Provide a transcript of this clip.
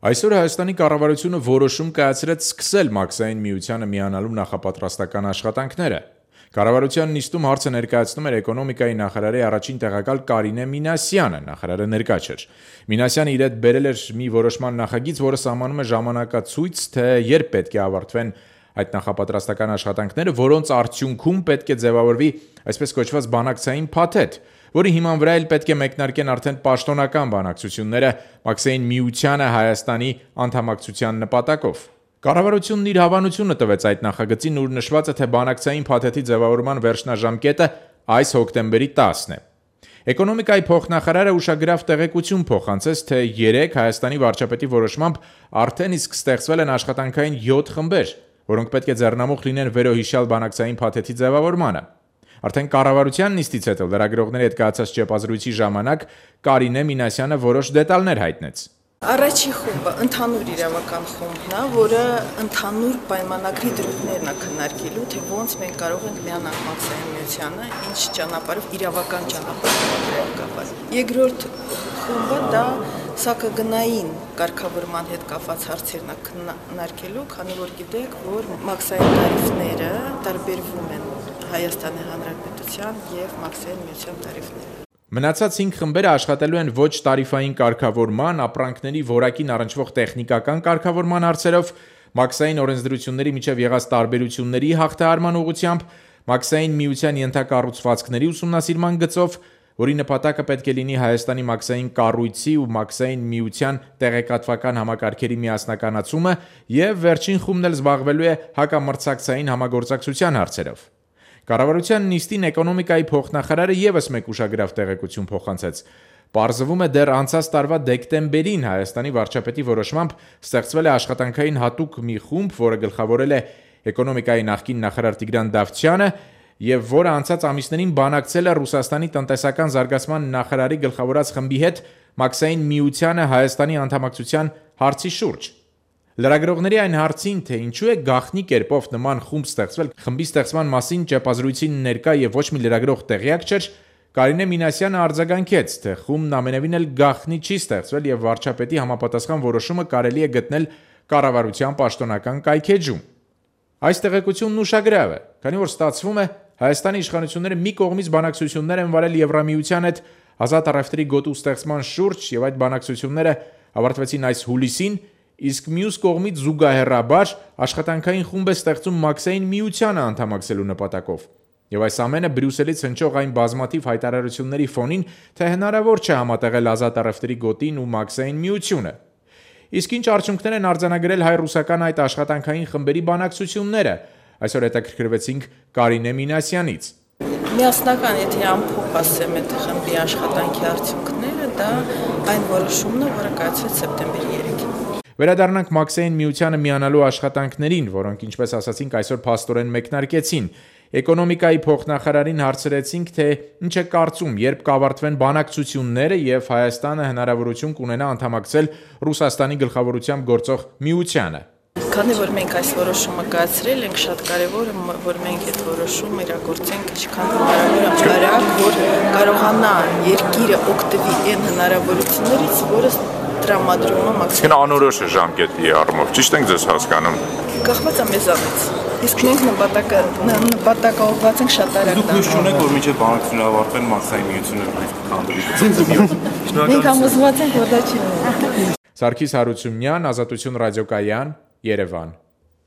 Այսօր Հայաստանի կառավարությունը որոշում կայացրեց սկսել Մաքսային միությանը միանալու նախապատրաստական աշխատանքները։ Կառավարության նիստում հարցը ներկայացնում էր էկոնոմիկայի նախարարի առաջին տեղակալ Կարինե Մինասյանը, նախարարը ներկա չէր։ Մինասյանը իր հետ բերել էր մի որոշման նախագիծ, որը սահմանում է ժամանակացույց, թե երբ պետք է ավարտվեն այդ նախապատրաստական աշխատանքները, որոնց արդյունքում պետք է ձևավորվի այսպես կոչված բանակցային փաթեթ, որի հիման վրա էլ պետք է մեկնարկեն արդեն պաշտոնական բանակցությունները Մաքսային միությանը Հայաստանի անդամակցության նպատակով։ Կառավարությունն իր հավանությունը տվեց այդ նախագծին, ուր նշված է, թե բանակցային փաթեթի ձևավորման վերջնաժամկետը այս հոկտեմբերի 10-ն է։ Էկոնոմիկայի փոխնախարարը ուշագրավ տեղեկություն փոխանցեց, թե 3 Հայաստանի վարչապետի որոշմամբ արդեն իսկ ստեղծվել են աշխատանքային 7 խմբեր, որոնք պետք է ձեռնամուխ լինեն վերոհիշյալ բանակցային փաթեթի ձևավորմանը։ Արդեն կառավարության նիստից հետո լրագրողների հետ կայացած ճեպազրույցի ժամանակ Կարինե Մինասյանը որոշ դետալներ հայտնեց։ Առաջին խումբը ընդհանուր իրավական խումբն է, որը ընդհանուր պայմանագրի դրույթներն է քննարկելու, թե ոնց մենք կարող ենք միանալ Մաքսային միությանը, ինչ ճանապարհով, իրավական ճանապարհով կապված։ Երկրորդ խումբը դա սակագնային կարգավորման հետ կապված հարցերն է քննարկելու, քանի որ գիտեք, որ Մաքսային տարիֆները տարբերվում են Հայաստանի Հանրապետության եւ Մաքսային միության տարիֆները։ Մնացած 5 խմբերը աշխատելու են ոչ տարիֆային կարգավորման, ապրանքների որակին առնչվող տեխնիկական կարգավորման հարցերով, Մաքսային օրենսդրությունների միջև եղած տարբերությունների հաղթահարման ուղղությամբ, Մաքսային միության ենթակառուցվածքների ուսումնասիրման գծով, որի նպատակը պետք է լինի Հայաստանի Մաքսային կառույցի ու Մաքսային միության տեղեկատվական համակարգերի միասնականացումը, եւ վերջին խումբն էլ զբաղվելու է հակամրցակցային համագործակցության հարցերով։ Կառավարության նիստին էկոնոմիկայի փոխնախարարը եւս մեկ ուշագրավ տեղեկություն փոխանցեց։ Պարզվում է դեռ անցած տարվա դեկտեմբերին Հայաստանի վարչապետի որոշմամբ ստեղծվել է աշխատանքային հատուկ մի խումբ, որը գլխավորել է էկոնոմիկայի նախկին նախարար Տիգրան Դավթյանը եւ որը անցած ամիսներին բանակցել է Ռուսաստանի տնտեսական զարգացման նախարարի գլխավորած խմբի հետ Մաքսային միությանը Հայաստանի անդամակցության հարցի շուրջ։ Լրագրողների այն հարցին, թե ինչու է գաղտնի կերպով նման խումբ ստեղծվել, խմբի ստեղծման մասին ճեպազրույցին ներկա եւ ոչ մի լրագրող տեղյակ չէր, Կարինե Մինասյանը արձագանքեց, թե խումբն ամենևին էլ գաղտնի չի ստեղծվել եւ վարչապետի համապատասխան որոշումը կարելի է գտնել կառավարության պաշտոնական կայքեջում։ Այս տեղեկությունն ուշագրավ է, քանի որ ստացվում է Հայաստանի իշխանությունները մի կողմից բանակցություններ են վարել Եվրամիության հետ ազատ առևտրի գոտու ստեղծման շուրջ եւ այդ բանակցությունները ավարտվեցին այս հուլիսին, իսկ մյուս կողմից զուգահեռաբար աշխատանքային խումբ է ստեղծում Մաքսային միությանը անդամակցելու նպատակով։ Եվ այս ամենը Բրյուսելից հնչող այն բազմաթիվ հայտարարությունների ֆոնին, թե հնարավոր չէ համատեղել ազատ առևտրի գոտին ու Մաքսային միությունը։ Իսկ ինչ արդյունքներ են արձանագրել հայ-ռուսական այդ աշխատանքային խմբերի բանակցությունները, այսօր հետաքրքրվեցինք Կարինե Մինասյանից։ Միասնական, եթե ամփոփ ասեմ այդ խմբի աշխատանքի արդյունքները, դա այն որոշումն է, որը կայացվեց սեպտեմբերի 3-ին։ Վերադառնանք Մաքսային միությանը միանալու աշխատանքներին, որոնք, ինչպես ասացինք, այսօր փաստորեն մեկնարկեցին։ Էկոնոմիկայի փոխնախարարին հարցրեցինք, թե ինչ է կարծում, երբ կավարտվեն բանակցությունները եւ Հայաստանը հնարավորություն կունենա անդամակցել Ռուսաստանի գլխավորությամբ գործող միությանը։ Քանի որ մենք այս որոշումը կայացրել ենք, շատ կարևոր է, որ մենք այդ որոշումը իրագործենք ինչքան հնարավոր է արագ, որ կարողանա երկիրը օգտվի այն հնարավորություններից, որը տրամադրում է Մաքսային։ Անորոշ է ժամկետի առումով, ճիշտ ենք ձեզ հասկանում։ Կախված է մեզանից։ Իսկ մենք նպատակաուղղված ենք շատ արագ դառնալ։ Դուք չունեք, որ մինչև բանակցությունները ավարտվեն Մաքսային միությունը քանդվի։ Մենք համոզված ենք, որ դա չի լինի։ Սարգիս Հարությունյան, Ազատություն ռադիոկայան, Երևան։